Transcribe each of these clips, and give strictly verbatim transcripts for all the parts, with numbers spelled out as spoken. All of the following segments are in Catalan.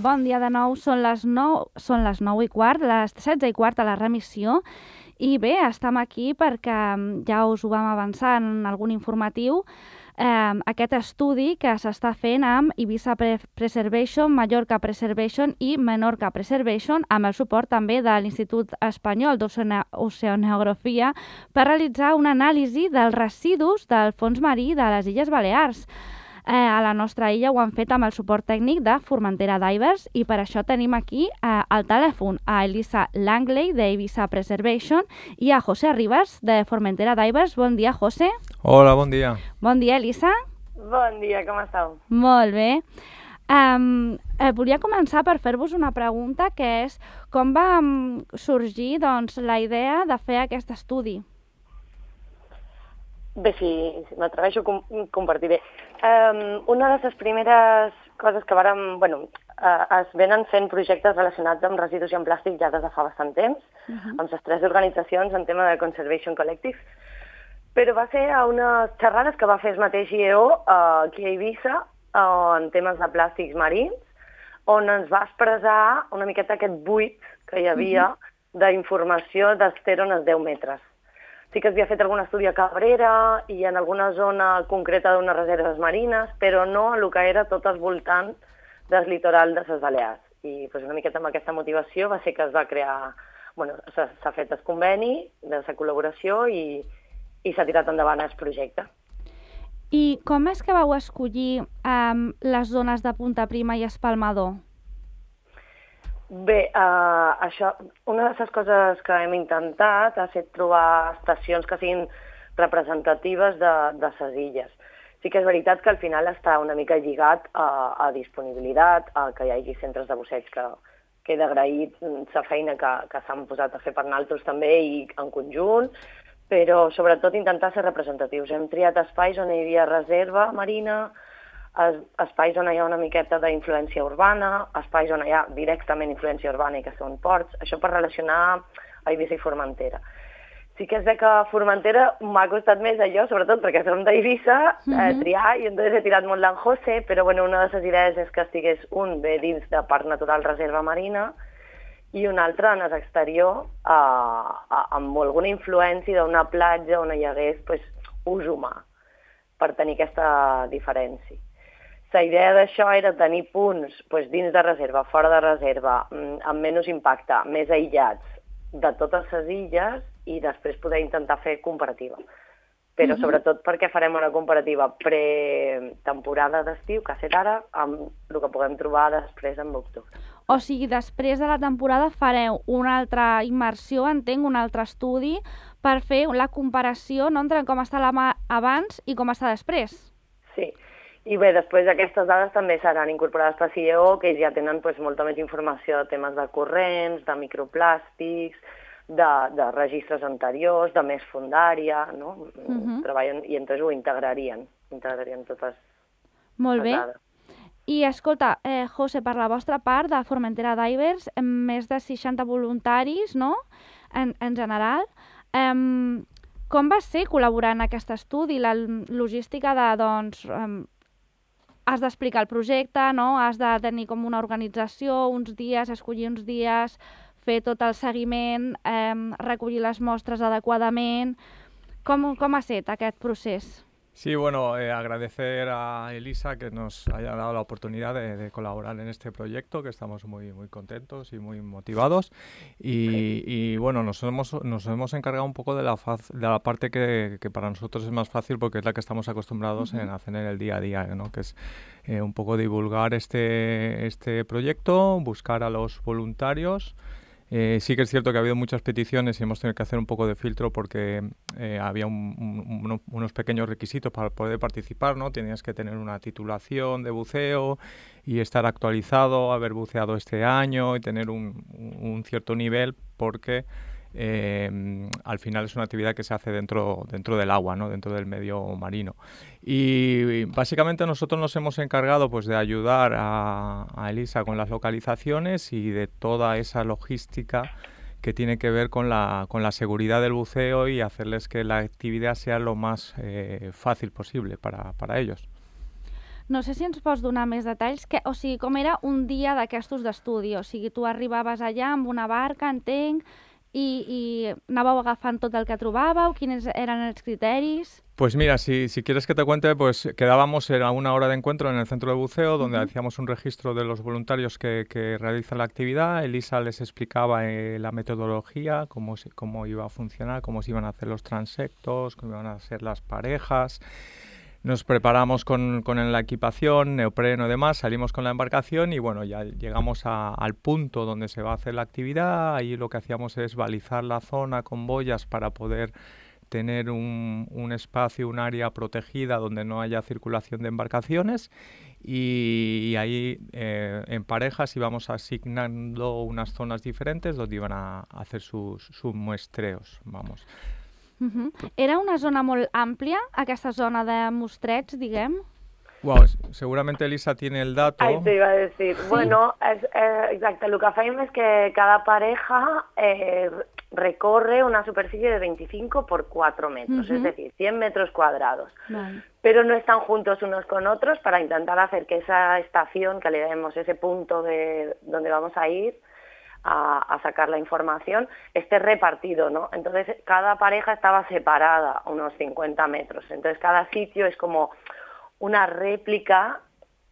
bon dia de nou, són les nou, són les nou i quart, les setze i quart a la remissió, i bé, estem aquí perquè ja us ho vam avançar en algun informatiu, eh, aquest estudi que s'està fent amb Ibiza Preservation, Mallorca Preservation i Menorca Preservation, amb el suport també de l'Institut Espanyol d'Oceanografia, per realitzar una anàlisi dels residus del fons marí de les Illes Balears. Eh, a la nostra illa ho han fet amb el suport tècnic de Formentera Divers i per això tenim aquí eh, al telèfon a Elisa Langley d'Ibiza Preservation i a José Rivas de Formentera Divers. Bon dia, José. Hola, bon dia. Bon dia, Elisa. Bon dia, com esteu? Molt bé. Um, eh, volia començar per fer-vos una pregunta, que és com va um, sorgir doncs, la idea de fer aquest estudi? Bé, si, si m'atreveixo, com, compartiré. Um, una de les primeres coses que vàrem... Bueno, uh, es venen fent projectes relacionats amb residus i amb plàstic ja des de fa bastant temps, uh-huh. amb les tres organitzacions en tema de Conservation Collective, però va ser a unes xerrades que va fer el mateix I E O uh, aquí a Eivissa uh, en temes de plàstics marins, on ens va expressar una miqueta aquest buit que hi havia uh-huh. d'informació d'Ester on els deu metres. Sí que havia fet algun estudi a Cabrera i en alguna zona concreta d'unes reserves marines, però no el que era tot el voltant del litoral de les Balears. I pues, una miqueta amb aquesta motivació va ser que es va crear, bueno, s'ha fet el conveni de la col·laboració i, i s'ha tirat endavant el projecte. I com és que vau escollir um, les zones de Punta Prima i Espalmador? Bé, uh, això, una de les coses que hem intentat ha estat trobar estacions que siguin representatives de, de les illes. Sí que és veritat que al final està una mica lligat a, a disponibilitat, a que hi hagi centres de busseig que queda agraït la feina que, que s'han posat a fer per nosaltres també i en conjunt, però sobretot intentar ser representatius. Hem triat espais on hi havia reserva marina, espais on hi ha una miqueta d'influència urbana, espais on hi ha directament influència urbana i que són ports, això per relacionar a Eivissa i Formentera. Sí que és bé que a Formentera m'ha costat més allò, sobretot perquè som d'Eivissa, mm-hmm. eh, triar, i entonces he tirat molt d'en José, però bueno, una de les idees és que estigués un bé dins de Parc Natural Reserva Marina i un altre en l'exterior, eh, amb alguna influència d'una platja on hi hagués pues, ús humà, per tenir aquesta diferència. La idea d'això era tenir punts doncs, dins de reserva, fora de reserva, amb menys impacte, més aïllats de totes les illes i després poder intentar fer comparativa. Però uh-huh. sobretot perquè farem una comparativa pre-temporada d'estiu, que ha estat ara, amb el que puguem trobar després en octubre. O sigui, després de la temporada fareu una altra immersió, entenc, un altre estudi, per fer la comparació no, entre com està la mar abans i com està després. Sí. I bé, després aquestes dades també seran incorporades per I E O, que ells ja tenen pues, molta més informació de temes de corrents, de microplàstics, de, de registres anteriors, de més fundària, no? Uh-huh. Treballen i entre ho integrarien, integrarien totes Molt les bé. dades. I escolta, eh, José, per la vostra part de Formentera Divers, més de seixanta voluntaris, no?, en, en general. Eh, com va ser col·laborar en aquest estudi? La logística de, doncs, eh, has d'explicar el projecte, no? Has de tenir com una organització, uns dies, escollir uns dies, fer tot el seguiment, eh, recollir les mostres adequadament. Com, com ha estat aquest procés? Sí, bueno, eh, agradecer a Elisa que nos haya dado la oportunidad de, de colaborar en este proyecto, que estamos muy, muy contentos y muy motivados. Y, y bueno, nos hemos, nos hemos encargado un poco de la, faz, de la parte que, que para nosotros es más fácil porque es la que estamos acostumbrados uh-huh. en hacer en el día a día, ¿no? Que es eh, un poco divulgar este, este proyecto, buscar a los voluntarios. Eh, sí que es cierto que ha habido muchas peticiones y hemos tenido que hacer un poco de filtro porque eh, había un, un, unos pequeños requisitos para poder participar, ¿no? Tenías que tener una titulación de buceo y estar actualizado, haber buceado este año y tener un, un cierto nivel porque eh, al final es una actividad que se hace dentro, dentro del agua, ¿no? Dentro del medio marino. Y básicamente nosotros nos hemos encargado pues, de ayudar a, a Elisa con las localizaciones y de toda esa logística que tiene que ver con la, con la seguridad del buceo y hacerles que la actividad sea lo más eh, fácil posible para, para ellos. No sé si ens pots donar més detalls, que, o sigui, com era un dia d'aquestos d'estudi, o sigui, tu arribaves allà amb una barca, entenc, i, i anàveu agafant tot el que trobàveu, quins eren els criteris... Pues mira, si, si quieres que te cuente, pues quedábamos en una hora de encuentro en el centro de buceo, donde uh-huh. hacíamos un registro de los voluntarios que, que realizan la actividad. Elisa les explicaba eh, la metodología, cómo, se, cómo iba a funcionar, cómo se iban a hacer los transectos, cómo iban a ser las parejas. Nos preparamos con, con la equipación, neopreno y demás, salimos con la embarcación y bueno, ya llegamos a, al punto donde se va a hacer la actividad. Ahí lo que hacíamos es balizar la zona con boyas para poder tener un, un espacio, un área protegida donde no haya circulación de embarcaciones y, y ahí eh, en parejas íbamos asignando unas zonas diferentes donde iban a, a hacer sus, sus muestreos, vamos. Uh-huh. Era una zona molt àmplia, aquesta zona de mostrets, diguem? Wow, seguramente Elisa tiene el dato. Ahí te iba a decir. ¿Sí? Bueno, es, eh, exacto, lo que hacemos es que cada pareja eh, recorre una superficie de veinticinco por cuatro metros, uh-huh. es decir, cien metros cuadrados. Vale. Pero no están juntos unos con otros para intentar hacer que esa estación, que le demos ese punto de donde vamos a ir a, a sacar la información, esté repartido, ¿no? Entonces, cada pareja estaba separada unos cincuenta metros. Entonces, cada sitio es como una réplica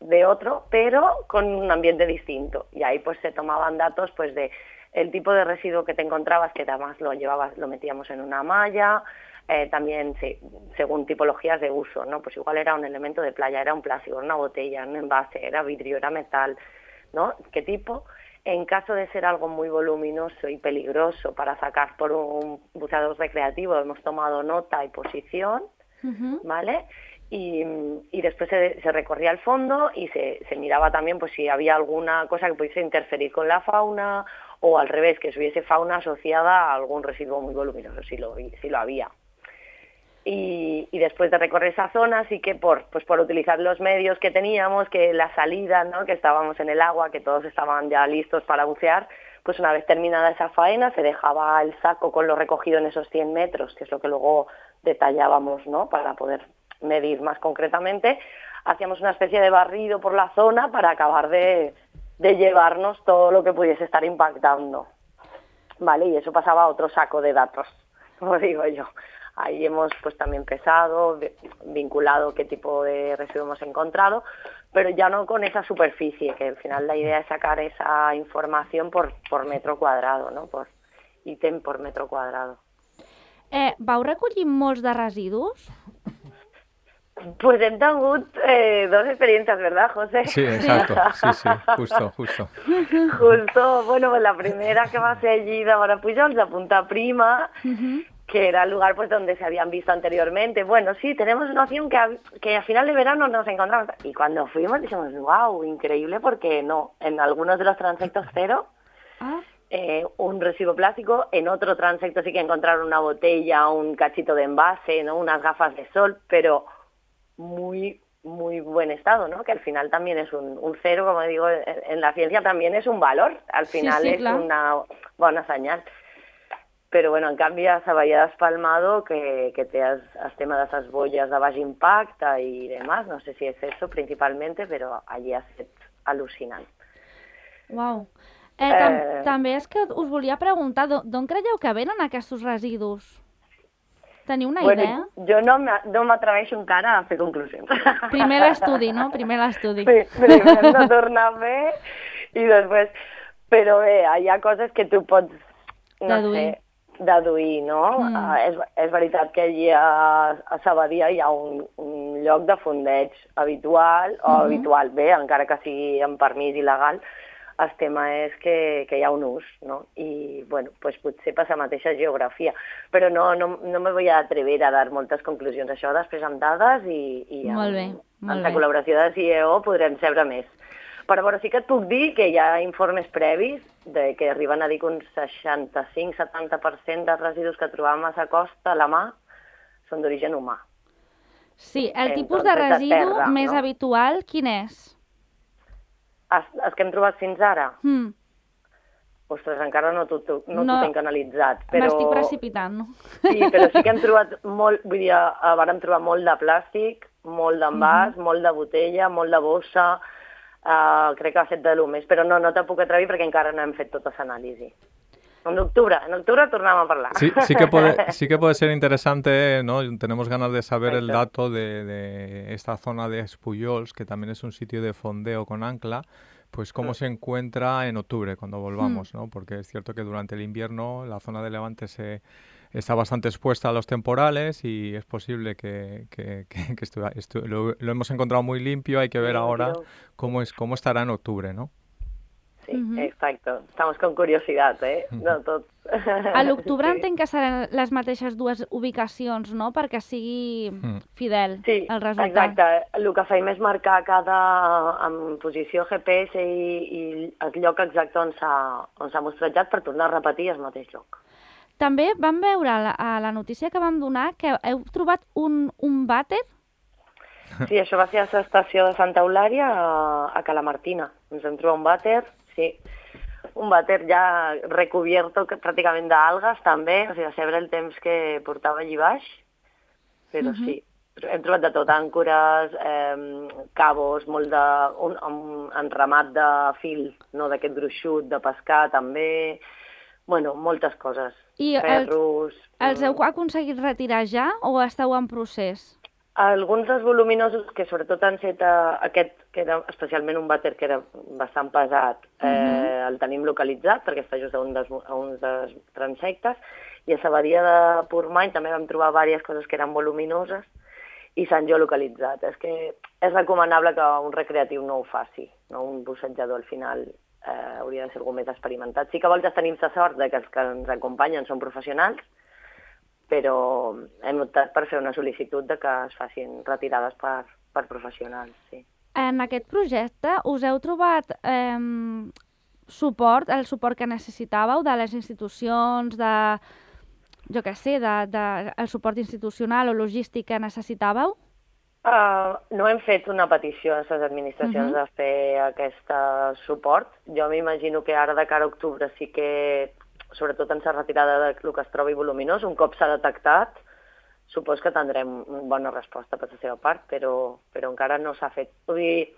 de otro, pero con un ambiente distinto. Y ahí pues se tomaban datos pues de el tipo de residuo que te encontrabas, que además lo llevabas, lo metíamos en una malla, eh, también sí, según tipologías de uso, ¿no? Pues igual era un elemento de playa, era un plástico, una botella, un envase, era vidrio, era metal, ¿no? ¿Qué tipo? En caso de ser algo muy voluminoso y peligroso para sacar por un buceador recreativo, hemos tomado nota y posición, uh-huh. ¿vale? Y, y después se, se recorría el fondo y se, se miraba también pues si había alguna cosa que pudiese interferir con la fauna o al revés, que hubiese fauna asociada a algún residuo muy voluminoso, si lo, si lo había. Y, y después de recorrer esa zona, sí que por, pues por utilizar los medios que teníamos, que la salida, ¿no? Que estábamos en el agua, que todos estaban ya listos para bucear, pues una vez terminada esa faena se dejaba el saco con lo recogido en esos cien metros, que es lo que luego detallábamos, ¿no? Para poder medir más concretamente, hacíamos una especie de barrido por la zona para acabar de, de llevarnos todo lo que pudiese estar impactando, ¿vale? Y eso pasaba a otro saco de datos, como digo yo. Ahí hemos pues también pesado, vinculado qué tipo de residuo hemos encontrado, pero ya no con esa superficie, que al final la idea es sacar esa información por, por metro cuadrado, ¿no? Por ítem por metro cuadrado. Eh, vau recollir molts de residus? Pues hem tingut eh, dos experiencias, ¿verdad, José? Sí, exacto, sí, sí, justo, justo. Justo, bueno, pues la primera que va a ser allí de Marapujols, de Punta Prima, uh-huh. que era el lugar pues donde se habían visto anteriormente. Bueno, sí, tenemos una opción que, a, que a final de verano nos encontramos. Y cuando fuimos dijimos, wow, increíble, porque no, en algunos de los transectos cero, ah. eh, un residuo plástico, en otro transecto sí que encontraron una botella, un cachito de envase, ¿no? Unas gafas de sol, pero muy muy buen estado, ¿no? Que al final también es un, un cero, como digo, en, en la ciencia también es un valor, al final sí, sí, es clar. Una bona senyal. Però bueno, en canvi a Sabadell has palmado que, que te has, has tema de esas boyas de baix impacte y demás, no sé si es eso principalmente, però allí ha estat al·lucinant. Uau. Eh, tam eh... També és que us volia preguntar, d'on creieu que venen aquests residus? Teniu una bueno, idea? Jo no m'atreveixo encara a fer conclusions. Primer l'estudi, no? Primer l'estudi. Sí, primer no tornar a fer i després... Però bé, hi ha coses que tu pots, no deduir. sé, deduir, no? Mm. Uh, és, és veritat que allí a, a Sabadell hi ha un, un lloc de fondeig habitual, o mm-hmm. habitual, bé, encara que sigui amb permís il·legal. El tema és que, que hi ha un ús, no? I, bueno, pues potser per la mateixa geografia. Però no, no, no me voy a atrever a dar moltes conclusions. Això després amb dades i, i amb, molt bé, molt amb la col·laboració de C I E O podrem saber més. Però bueno, sí que et puc dir que hi ha informes previs de que arriben a dir que un seixanta-cinc a setanta per cent dels residus que trobàvem a la costa, a la mà, són d'origen humà. Sí, el Entonces, tipus de residu de terra, més no? habitual, quin és? Els, els que hem trobat fins ara? Mm. Ostres, encara no t'ho no no, tinc analitzat. Però... M'estic precipitant, no? Sí, però sí que hem trobat molt, vull dir, vàrem trobar molt de plàstic, molt d'envàs, mm-hmm. molt de botella, molt de bossa, uh, crec que ha fet de lo més, però no, no te puc atrevir perquè encara no hem fet tota l'anàlisi. En octubre, en octubre tornamos a hablar. Sí, sí que puede, sí que puede ser interesante, ¿no? Tenemos ganas de saber Exacto. el dato de, de esta zona de Espullols, que también es un sitio de fondeo con ancla, pues cómo mm. se encuentra en octubre cuando volvamos, mm. ¿no? Porque es cierto que durante el invierno la zona de Levante se está bastante expuesta a los temporales y es posible que, que, que, que estu estu lo, lo hemos encontrado muy limpio, hay que ver sí, ahora cómo, es, cómo estará en octubre, ¿no? Sí, uh-huh. exacte. Estamos con curiositat, eh? No, tot. A l'octubre sí. entenc que seran les mateixes dues ubicacions, no?, perquè sigui fidel sí, el resultat. Exacte. El que fem és marcar cada en posició G P S i, i el lloc exacte on s'ha mostrejat per tornar a repetir el mateix lloc. També vam veure a la, a la notícia que vam donar que heu trobat un, un vàter. Sí, això va ser a l'estació de Santa Eulària a, a Calamartina. Ens vam trobar un vàter, sí, un vàter ja recubierto pràcticament d'algues també, o sigui, a saber el temps que portava allí baix, però uh -huh. sí, hem trobat de tot, àncores, eh, cabos, molt de, un, un enramat de fil, no, d'aquest gruixut, de pescar també, bueno, moltes coses, I ferros... I els, els heu aconseguit retirar ja o esteu en procés? Alguns dels voluminosos, que sobretot han set a, aquest, que era especialment un vàter que era bastant pesat, eh, uh-huh. el tenim localitzat, perquè està just a un dels, a un dels transectes, i a la badia de Portmany també vam trobar diverses coses que eren voluminoses i s'han geolocalitzat. És que és recomanable que un recreatiu no ho faci, no? Un bussejador al final eh, hauria de ser algú més experimentat. Sí que a voltes tenim la sort de que els que ens acompanyen són professionals, però hem optat per fer una sol·licitud de que es facin retirades per, per professionals, sí. En aquest projecte us heu trobat eh, suport, el suport que necessitàveu de les institucions, de, jo què sé, de, de, el suport institucional o logístic que necessitàveu? Uh, no hem fet una petició a les administracions uh-huh. de fer aquest suport. Jo m'imagino que ara de cara a octubre sí que sobretot en la retirada del que es trobi voluminós, un cop s'ha detectat, supos que tindrem una bona resposta per la seva part, però, però encara no s'ha fet. Vull dir,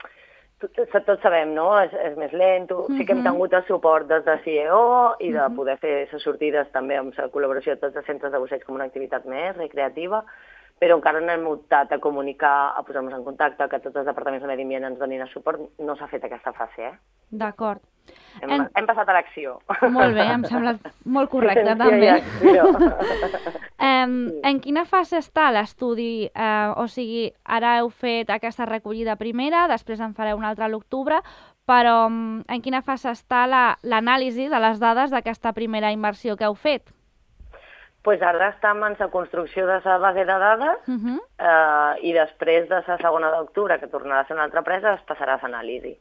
tots sabem, no? És, és més lent, uh-huh. sí que hem tingut el suport des de C I E O i de uh-huh. poder fer les sortides també amb la col·laboració de tots els centres de busseig com una activitat més recreativa, però encara no hem optat a comunicar, a posar-nos en contacte, que tots els departaments de medi ambient ens donin el suport. No s'ha fet aquesta fase, eh? D'acord. Hem, en... hem passat a l'acció. Molt bé, em sembla molt correcte, sí, també. Sí, um, en quina fase està l'estudi? Uh, o sigui, ara heu fet aquesta recollida primera, després en fareu una altra a l'octubre, però um, en quina fase està l'anàlisi la, de les dades d'aquesta primera inversió que heu fet? Pues ara estem en la construcció de la base de dades uh-huh. eh, i després de la segona d'octubre, que tornarà a ser una altra presa, es passarà a l'anàlisi.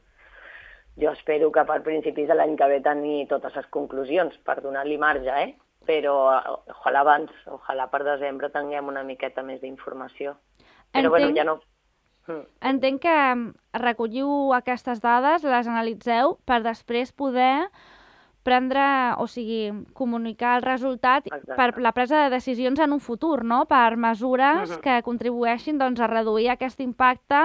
Jo espero que per principis de l'any que ve tenir totes les conclusions per donar-li marge, eh? Però ojalà abans, ojalà per desembre tinguem una miqueta més d'informació. Però entenc, bueno, ja no... Entenc que recolliu aquestes dades, les analitzeu per després poder prendre, o sigui, comunicar el resultat Exacte. Per la presa de decisions en un futur, no? Per mesures uh-huh. que contribueixin doncs, a reduir aquest impacte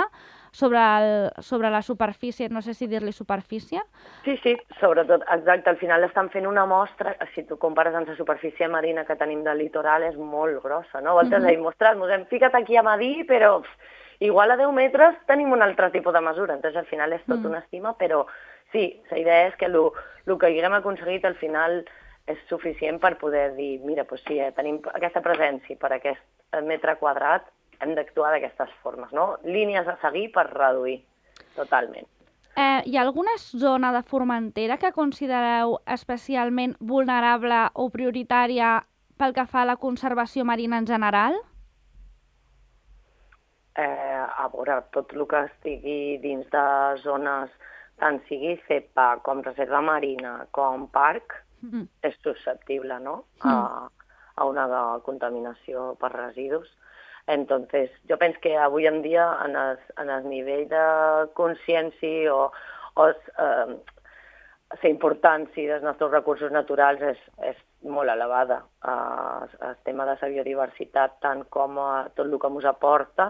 sobre, el, sobre la superfície, no sé si dir-li superfície. Sí, sí, sobretot, exacte, al final estan fent una mostra, si tu compares amb la superfície marina que tenim del litoral, és molt grossa, no? Voltes uh-huh. a dir, mostrar, ens hem ficat aquí a medir, però pff, igual a deu metres tenim un altre tipus de mesura, entonces al final és tot uh-huh. una estima, però sí, la idea és que el que haguem aconseguit al final és suficient per poder dir, mira, doncs sí, eh, tenim aquesta presència per aquest metre quadrat, hem d'actuar d'aquestes formes, no? Línies a seguir per reduir, totalment. Eh, hi ha alguna zona de Formentera que considereu especialment vulnerable o prioritària pel que fa a la conservació marina en general? Eh, a veure, tot el que estigui dins de zones, tant sigui CEPA com reserva marina com parc, mm. és susceptible, no? Mm. A, a una contaminació per residus. Entonces, jo penso que avui en dia en el, en el nivell de consciència o, o eh, la importància dels nostres recursos naturals és, és molt elevada. Eh, el tema de la biodiversitat, tant com a tot el que ens aporta,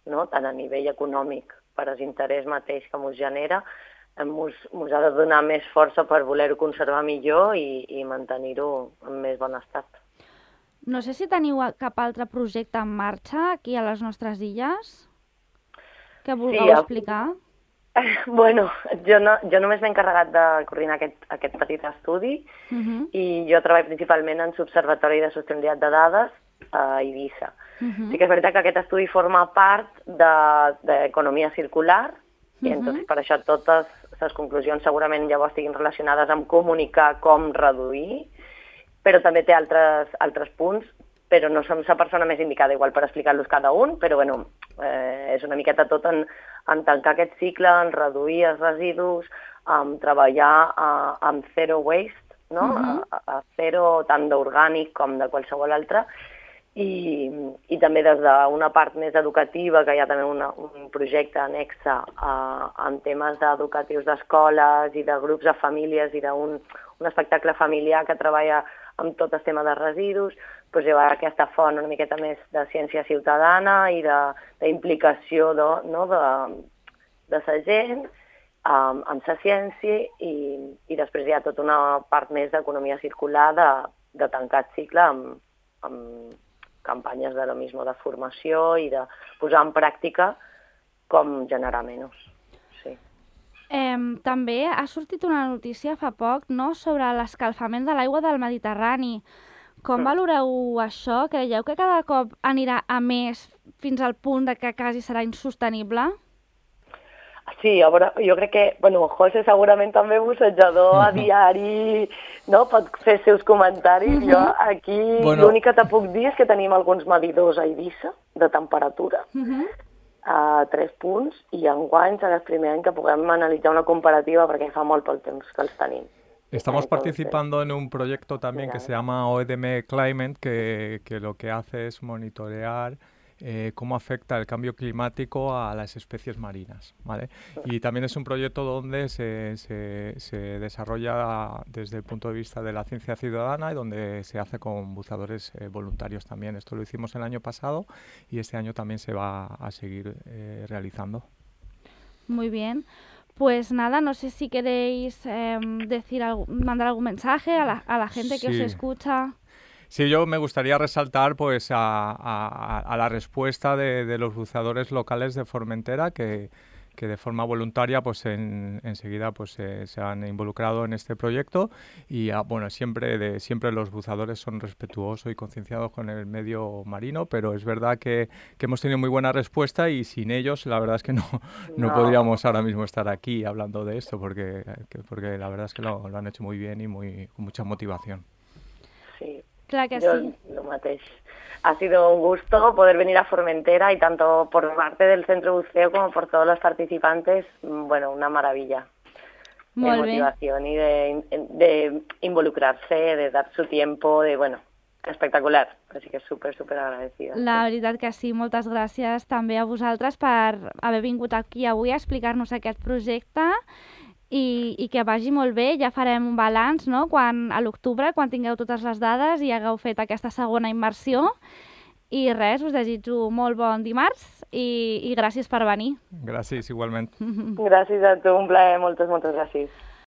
no? Tant a nivell econòmic per l'interès mateix que ens genera, ens ha de donar més força per voler-ho conservar millor i, i mantenir-ho en més bon estat. No sé si teniu cap altre projecte en marxa aquí a les nostres illes que vulgueu sí, explicar. Bueno, jo, no, jo només m'he encarregat de coordinar aquest, aquest petit estudi uh -huh. i jo treballo principalment en l'Observatori de Sostenibilitat de Dades a Eivissa. Uh -huh. Sí que és veritat que aquest estudi forma part d'economia circular uh -huh. i entonces, per això totes les conclusions segurament llavors estiguin relacionades amb comunicar com reduir, però també té altres, altres punts, però no som la persona més indicada igual per explicar-los cada un, però bueno, eh, és una miqueta tot en, en tancar aquest cicle, en reduir els residus, en treballar a, amb zero waste, no? Uh-huh. a, a zero tant d'orgànic com de qualsevol altre, i, i també des d'una part més educativa, que hi ha també una, un projecte annexe a, en temes educatius d'escoles i de grups de famílies i d'un un espectacle familiar que treballa amb tot el tema de residus, doncs hi ha aquesta font una miqueta més de ciència ciutadana i d'implicació no, de, de la gent um, amb la ciència i, i després hi ha tota una part més d'economia circular de, de tancar el cicle amb, amb campanyes de lo mismo de formació i de posar en pràctica com generar menys. Sí. Eh, també ha sortit una notícia fa poc, no?, sobre l'escalfament de l'aigua del Mediterrani. Com mm. valoreu això? Creieu que cada cop anirà a més fins al punt de que quasi serà insostenible? Sí, a veure, jo crec que, bueno, José segurament també bussejador a diari, no? Pot fer seus comentaris. Uh-huh. Jo aquí bueno. L'únic que te puc dir és que tenim alguns medidors a Eivissa de temperatura, uh-huh. a tres punts, i enguany serà el primer any que puguem analitzar una comparativa perquè fa molt pel temps que els tenim. Estamos participando en un proyecto también que se llama O E D M Climate, que, que lo que hace es monitorear Eh, cómo afecta el cambio climático a las especies marinas, ¿vale? Y también es un proyecto donde se, se, se desarrolla desde el punto de vista de la ciencia ciudadana y donde se hace con buceadores eh, voluntarios también. Esto lo hicimos el año pasado y este año también se va a seguir eh, realizando. Muy bien. Pues nada, no sé si queréis eh, decir algo, mandar algún mensaje a la, a la gente que sí. os escucha. Sí, yo me gustaría resaltar pues a, a, a la respuesta de, de los buceadores locales de Formentera que, que de forma voluntaria pues en, enseguida pues eh, se han involucrado en este proyecto y a, bueno siempre de siempre los buceadores son respetuosos y concienciados con el medio marino, pero es verdad que, que hemos tenido muy buena respuesta y sin ellos la verdad es que no, no, no. podríamos ahora mismo estar aquí hablando de esto porque, que, porque la verdad es que lo, lo han hecho muy bien y muy con mucha motivación. Sí. Claro que Yo, sí. Lo mateix. Ha sido un gusto poder venir a Formentera y tanto por parte del Centro Buceo como por todos los participantes, bueno, una maravilla. Muy de motivación y de, de involucrarse, de dar su tiempo, de, bueno, espectacular. Así que súper, súper agradecida. La veritat que sí, moltes gràcies també a vosaltres per haver vingut aquí avui a explicar-nos aquest projecte. I, i que vagi molt bé, ja farem un balanç, no?, quan, a l'octubre, quan tingueu totes les dades i hagueu fet aquesta segona immersió. I res, us desitjo molt bon dimarts i, i gràcies per venir. Gràcies, igualment. Gràcies a tu, un plaer, moltes, moltes gràcies.